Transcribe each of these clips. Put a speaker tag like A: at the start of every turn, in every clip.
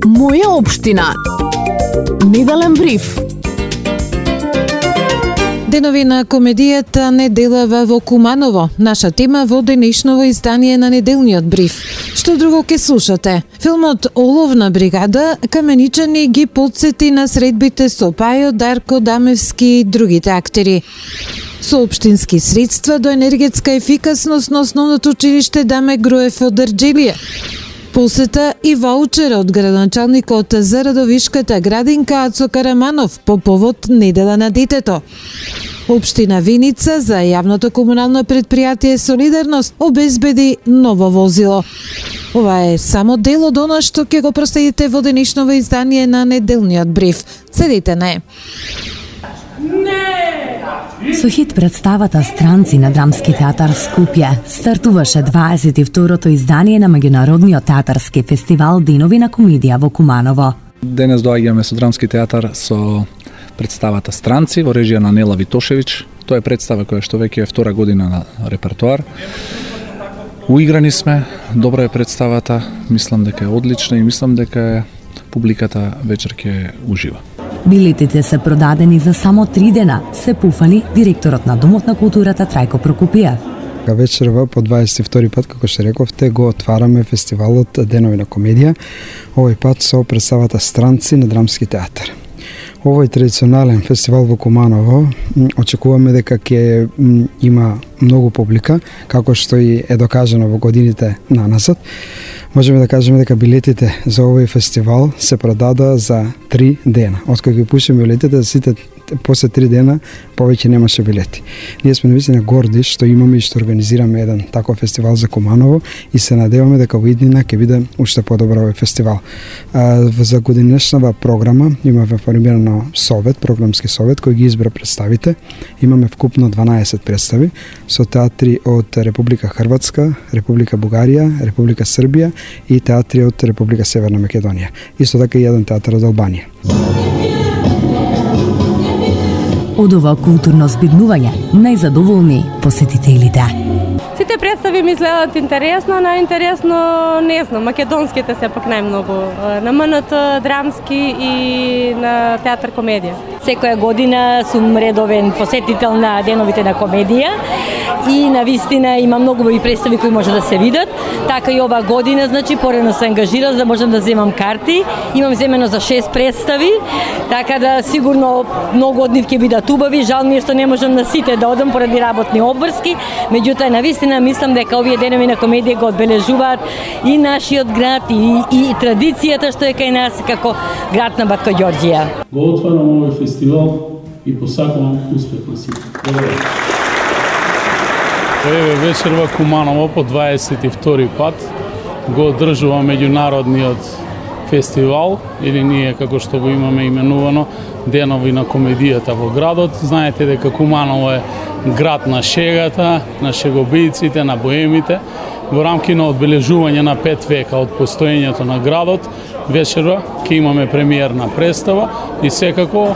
A: Моја општина. Неделен бриф.
B: Денови на комедијата Неделава во Куманово. Наша тема во денешново издание на Неделниот бриф. Што друго ке слушате? Филмот Оловна бригада каменичани ги потсети на средбите со Пајо, Дарко Дамевски и другите актери. Со општински средства до енергетска ефикасност на основното училиште Даме Груев од Дрџелија. Посета и ваучер од градоначалникот за Радовишката градинка Ацо Караманов по повод Недела на детето. Општина Виница за јавното комунално предпријатие Солидарност обезбеди ново возило. Ова е само дел од она што ќе го проследите во денешново издание на Неделниот бриф. Седите не.
C: Со хит представата Странци на Драмски театар Скопје стартуваше 22-то издание на меѓународниот театарски фестивал Денови на комедија во Куманово.
D: Денес доаѓаме со Драмски театар со представата Странци во режија на Нела Витошевич. Тоа е представа која што веќе е втора година на репертоар. Уиграни сме, добра е представата, мислам дека е одлична и мислам дека публиката вечер ќе ужива.
C: Билетите се продадени за само 3 дена, се пуфали директорот на Домот на културата Трајко Прокопиев.
E: Вечерва по 22 пат, како што рековте, го отвараме фестивалот Денови на комедија, овој пат со представата Странци на Драмски театар. Овој традиционален фестивал во Куманово очекуваме дека ќе има многу публика, како што и е докажано во годините наназад. Можеме да кажеме дека билетите за овој фестивал се продада за 3 дена. Откако ги пушиме билетите, сите после 3 дена повеќе немаше билети. Ние сме навистина горди што имаме и што организираме еден таков фестивал за Куманово и се надеваме дека во иднина ќе биде уште подобар овој фестивал. За годинешнава програма имаме формирано совет, програмски совет кој ги избра представите. Имаме вкупно 12 представи со театри од Република Хрватска, Република Бугарија, Република Србија и театри од Република Северна Македонија. Исто така и еден театар од Албанија.
C: Од ова културно збиднување најзадоволни посетителите.
F: Сите представи ми изгледаат интересно, најинтересно, не знам, македонските се пак најмногу. На МНТ, Драмски и на театар комедија.
G: Секоја година сум редовен посетител на Деновите на комедија и навистина има многу убави представи кои може да се видат. Така и ова година, значи, порано се ангажирал за да можам да земам карти. Имам земено за 6 представи, така да сигурно многу од нив ќе бидат убави. Жал ми е што не можам на сите да одам поради работни обврски, меѓутоа навистина мислам дека овие Денови на комедија го одбележуваат и нашиот град и традицијата што е кај нас како град на Батко Ѓорѓија.
H: Го отварам овој фестивал и посакувам успех на сите.
I: Еве вечерва Куманово по 22 пат го одржува меѓународниот фестивал, или ние како што го имаме именувано Денови на комедијата во градот. Знаете дека Куманово е град на шегата, на шегобијците, на боемите. Во рамки на одбележување на 5 века од постоењето на градот, вечерва ќе имаме премиерна представа и секако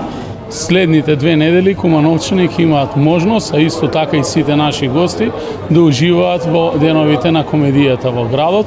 I: следните 2 недели кумановчани ќе имаат можност, а исто така и сите наши гости, да уживаат во Деновите на комедијата во градот.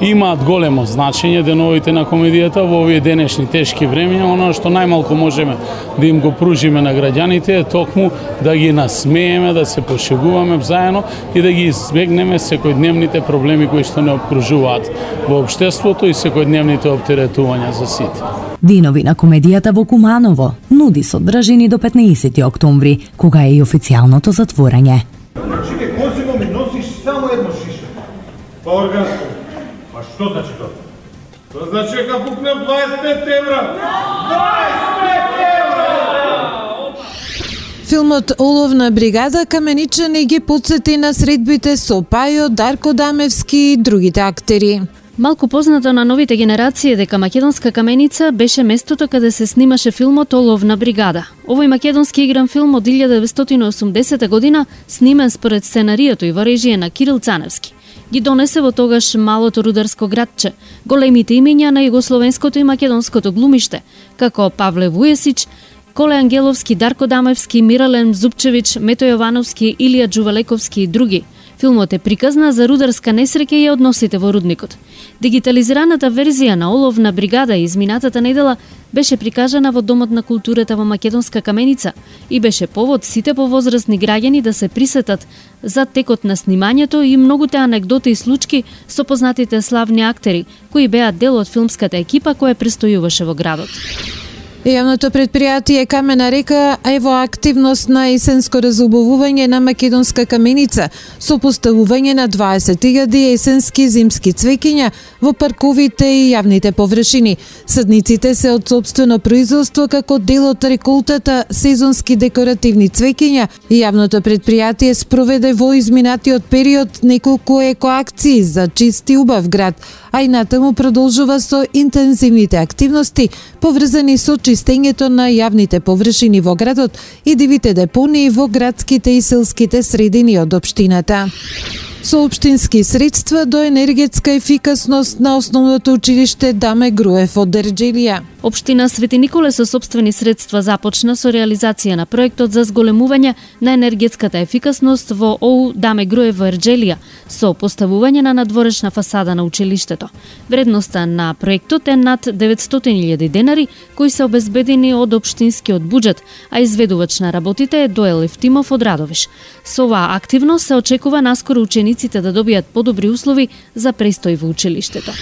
I: Имаат големо значење Деновите на комедијата во овие денешни тешки времења. Оно што најмалку можеме да им го пружиме на граѓаните е токму да ги насмееме, да се пошегуваме заедно и да ги избегнеме секојдневните проблеми кои што не обкружуваат во општеството и секојдневните оптеретувања за сите.
C: Денови на комедијата во Куманово нуди содржини до 15 октомври, кога е и официјалното затворање.
J: Чекај, козино ми носиш само едно шише. Па органско. Па што значи тоа? Тоа значи дека пукнем 25 евра. 25 евра!
B: Филмот Оловна бригада каменичани ги потсети на средбите со Пајо, Дарко Дамевски и другите актери.
K: Малку познато на новите генерации дека македонска каменица беше местото каде се снимаше филмот Оловна бригада. Овој македонски игран филм од 1980 година, снимен според сценарието и во режија на Кирил Цаневски, ги донесе во тогаш малото рударско градче големите имиња на југословенското и македонското глумиште, како Павле Вујесич, Коле Ангеловски, Дарко Дамевски, Мирален Зупчевич, Мето Јовановски, Илија Джувалековски и други, Филмот е приказна за рударска несреќа и односите во рудникот. Дигитализираната верзија на Оловна бригада изминатата недела беше прикажана во Домот на културата во Македонска Каменица и беше повод сите повозрастни граѓани да се присетат за текот на снимањето и многуте анегдоти и случки со познатите славни актери кои беа дел од филмската екипа која престојуваше во градот.
B: Јавното предпријатие Камена река е во активност на есенско разубавување на Македонска Каменица со поставување на 20.000 есенски зимски цвеќиња во парковите и јавните површини. Садниците се од сопствено производство како дел од реколтата сезонски декоративни цвеќиња и јавното предпријатие спроведе во изминатиот период неколку екоакции за чист и убав град, а и натаму продолжува со интензивните активности поврзани со чистењето на јавните површини во градот и дивите депонии во градските и селските средини од општината. Со општински средства до енергетска ефикасност на основното училиште Даме Груев од Ерџелија.
K: Општина Свети Николе со сопствени средства започна со реализација на проектот за зголемување на енергетската ефикасност во ОУ Даме Груев во Ерџелија со поставување на надворешна фасада на училиштето. Вредноста на проектот е над 900.000 денари кои се обезбедени од општинскиот буџет, а изведувач на работите е Доел Евтимов од Радовиш. Со оваа активност се очекува наскоро учениците да добијат подобри услови за престој во училиштето.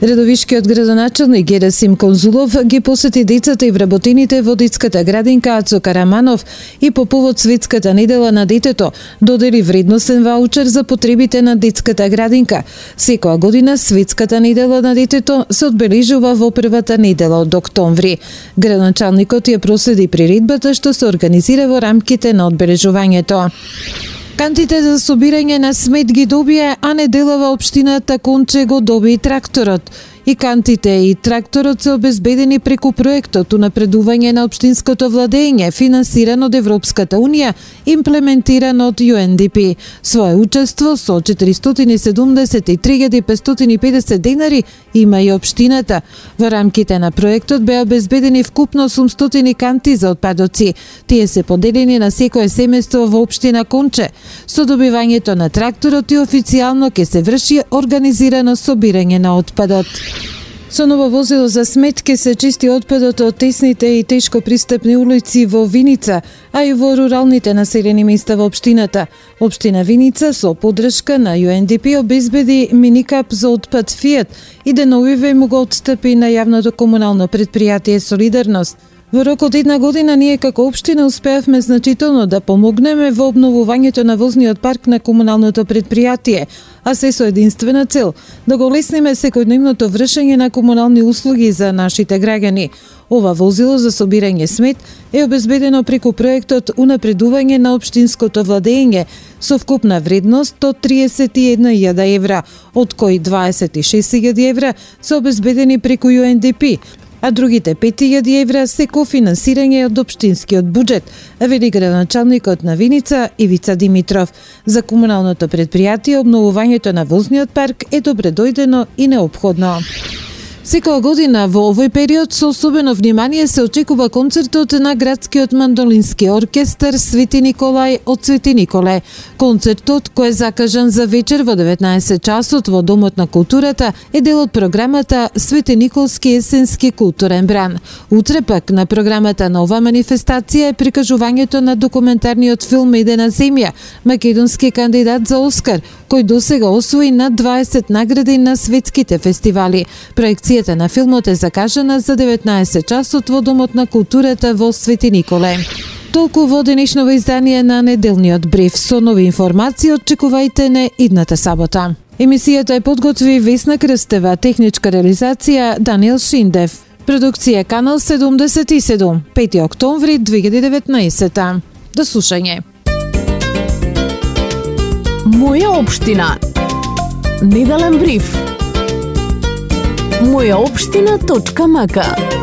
B: Редовишкиот градоначелник Герасим Конзулов ги посети децата и вработените во детската градинка Ацо Караманов и по повод Светската недела на детето додели вредносен ваучер за потребите на детската градинка. Секоја година Светската недела на детето се одбележува во првата недела од октомври. Градоначалникот ја проследи приредбата што се организира во рамките на одбележувањето. Кантите за собирање на смет ги добија, а неделава општината Конче го доби и тракторот. И кантите и тракторот се обезбедени преку проектот унапредување на општинското владење, финансиран од Европската Унија, имплементиран од UNDP. Своје учество со 473.550 денари има и општината. Во рамките на проектот беа обезбедени вкупно 800 канти за отпадоци. Тие се поделени на секое семејство во општина Конче. Со добивањето на тракторот и официјално ќе се врши организирано собирање на отпадот. Со ново возило за смет ќе се чисти отпадот од тесните и тешко пристапни улици во Виница, а и во руралните населени места во општината. Општина Виница со поддршка на UNDP обезбеди миникап за отпад Фијат и деновиве му го отстапи на јавното комунално предпријатие Солидарност. Во рок од една година ние како општина успеавме значително да помогнеме во обновувањето на возниот парк на комуналното предпријатие, а се со единствена цел да го лесниме секојдневното вршење на комунални услуги за нашите граѓани. Ова возило за собирање смет е обезбедено преку проектот унапредување на општинското владење со вкупна вредност од 31.000 евра, од кои 26.000 евра се обезбедени преку UNDP, а другите 5.000 евра се кофинансирање од општинскиот буџет, вели градоначалникот на Виница Ивица Димитров. За комуналното предпријатие обновувањето на возниот парк е добредојдено и неопходно. Секоја година во овој период со особено внимание се очекува концертот на градскиот мандолински оркестар Свети Николај од Свети Николе. Концертот, кој е закажан за вечер во 19 часот во Домот на културата, е дел од програмата Свети Николски есенски културен бран. Утре пак на програмата на ова манифестација е прикажувањето на документарниот филм Медена земја, македонски кандидат за Оскар, кој досега освои над 20 награди на светските фестивали. Проекцијата на филмот е закажана за 19 часот во Домот на културата во Свети Николе. Толку во денешново издание на Неделниот бриф. Со нови информации очекувајте не идната сабота. Емисијата е подготви Весна Крстева, техничка реализација Даниел Шиндев. Продукција Канал 77, 5 октомври 2019. До слушање.
A: Моја општина. Неделен бриф. Мојаопштина.мк